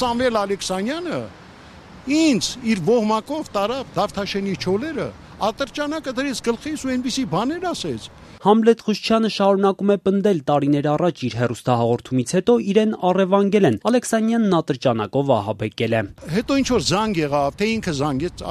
Սամվել Ալեքսանյանը ինձ իր ոհմակով տարավ Դավթաշենի չոլերը, ատրճանակը դրեց գլխիս ու այնպիսի բաներ ասեց։ Համլետ Խուշչյանը շարունակում է պնդել տարիներ առաջ իր հեռուստահաղորդումից հետո իրեն առևանգել են, Ալեքսանյանն ատրճանակով ահաբեկել է։ Հետո ինչ որ զանգ եղավ, թե ինքը զանգեց,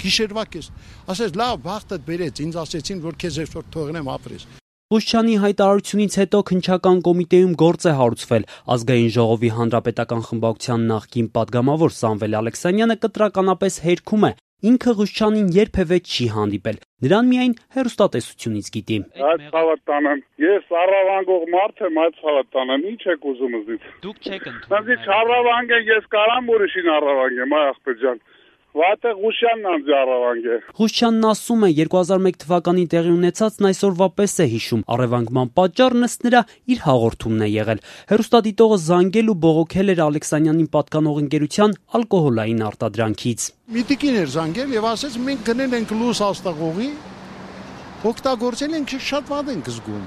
գիշերվա կես, ասեց լավ, բախտդ բերեց, ինձ ասեցին, որ քեզ այսօր թողնեմ ապրես։ Խուշչյանի հայտարարությունից հետո քննչական կոմիտեում գործ է հարուցվել։ Ազգային ժողովի հանրապետական խմբակցության նախկին падգամավոր Սամվել Ալեքսանյանը կտրականապես հերքում է։ Ինքը Խուշչյանին երբևէ չի հանդիպել, նրան միայն հեռուստատեսությունից գիտի։ Այդ ցավատանան, ես առավանգող մարդ եմ, այդ ցավատանան, ինչ եք ուզում ինձ։ Դուք չեք ընդունում։ Ինձ առավանգ է, ես կարամ ուրիշին առավանգեմ, այ ախպեր ջան։ Վատը Խուշյանն անձ առավանգ է։ Խուշչյանն ասում է 2001 թվականին տեղի ունեցածն այսօրվա պես է հիշում, առևանգման պատճառն ըստ նրա իր հաղորդումն է եղել։ Հեռուստադիտողը զանգել ու բողոքել էր Ալեքսանյանին պատկանող ընկերության ալկոհոլային արտադրանքից։ Մի տիկին էր զանգել եւ ասեց մենք գնել ենք լույս աստղողի, օգտագործել ենք շատ վատ ենք զգում։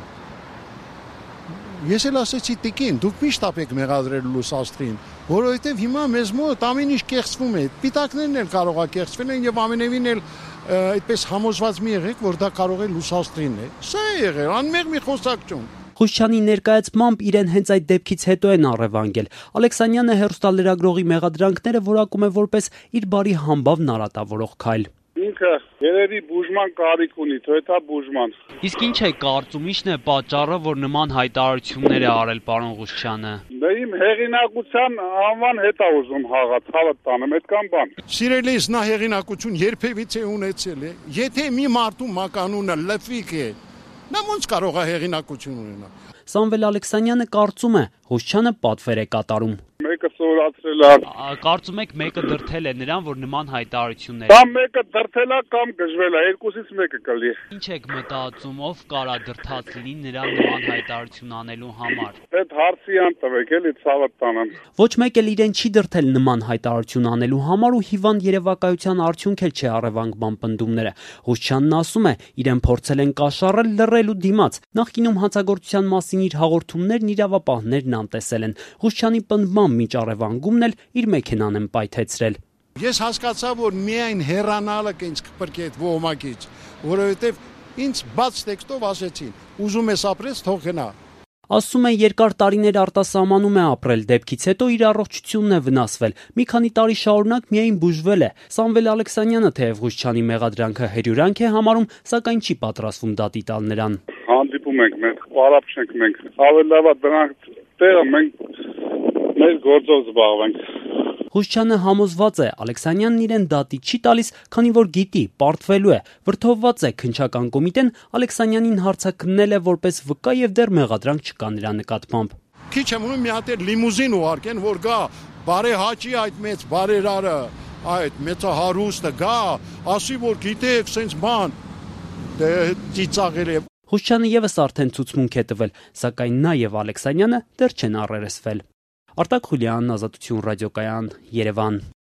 Ես էլ ասեցի տիկին, դուք միշտ ապեք մեղադրել լույս աստղին, որովհետև հիմա մեզ մոտ ամեն ինչ կեղծվում է, պիտակներն էլ կարող է կեղծվել են եւ ամենևին էլ այդպես համոզված մի եղեք, որ դա կարող է լույս աստղին է։ Սա է եղել, անմեղ մի խոսակցություն։ Խուշչյանի ներկայացմամբ իրեն հենց այդ դեպքից հետո են առևանգել։ Ալեքսանյանը հեռուստալրագրողի մեղադրանքները որակում է որպես իր բարի համբավն արատավորող քայլ։ Ինքը երևի բուժման կարիք ունի, թույթա բուժման։ Իսկ ինչ է կարծում, ի՞նչն է պատճառը, որ նման հայտարարություններ է արել պարոն Խուշչյանը։ Դե իմ հեղինակության անվան հետ է ուզում հաղաց, հավատ տանեմ, այդքան բան։ Սիրելիս, նա հեղինակություն երբևիցե ունեցել է։ Եթե մի մարդու մականունը լֆիկ է, նա ոնց կարող է հեղինակություն ունենալ։ Սամվել Ալեքսանյանը կարծում է, Խուշչյանը պատվեր է կատարում։ Մեկը սովորացրել է։ Կարծում եք մեկը դրդել է նրան, որ նման հայտարարություններ։ Կամ մեկը դրդել է, կամ գժվել է, երկուսից մեկը կլի։ Ինչ եք մտածում, ով կարա դրդած լինի նրան նման հայտարարություն անելու համար։ Այդ հարցի անտվեք, էլի ցավը տանեմ։ Ոչ մեկ էլ իրեն չի դրդել նման հայտարարություն անելու համար ու հիվանդ երևակայության արդյունք էլ չէ առևանգման պնդումները։ Խուշչյանն ասում է, իրեն փորձել են կաշառել, լռել ու դիմաց։ Նախկինում հանցագործության մասին իր հաղորդումներն իրավապահներն անտեսել են։ Խուշչյանի պնդմամբ մինչ առևանգումն էլ իր մեքենան են պայթեցրել։ Ես հասկացա, որ միայն հեռանալը կինչ կպրկի այդ ոհմակից, որովհետև ինձ բաց տեքստով ասեցին, ուզում ես ապրես, թող գնա։ Ասում է երկար տարիներ արտասահմանում է ապրել, դեպքից հետո իր առողջությունն է վնասվել, մի քանի տարի շարունակ միայն բուժվել է։ Սամվել Ալեքսանյանը թեև Խուշչյանի մեղադրանքը հերյուրանք է համարում, սակայն չի պատրաստվում դատի տալ նրան։ Հանդիպում ենք մենք, պարապ չենք մենք, ավելի լավ է դրանք տեղը մենք մեր գործով զբաղվենք։ Խուշչյանը համոզված է, Ալեքսանյանն իրեն դատի չի տալիս, քանի որ գիտի, պարտվելու է, վրդովված է քննչական կոմիտեն Ալեքսանյանին հարցաքննել է որպես վկա եւ դեռ մեղադրանք չկա նրա նկատմամբ։ Քիչ եմ ունում մի հատ լիմուզին ուղարկեն, որ գա բարեհաճի այդ մեծ բարերարը, այդ մեծահարուստը գա, ասի որ գիտեք, սենց բան, դե ծիծաղել է։ Խուշչյանը եւս արդեն ցուցմունք է տվել, սակայն նա եւ Ալեքսանյանը դեռ չեն առերեսվել։ Արտակ Խուլյան, Ազատություն ռադիոկայան, Երևան։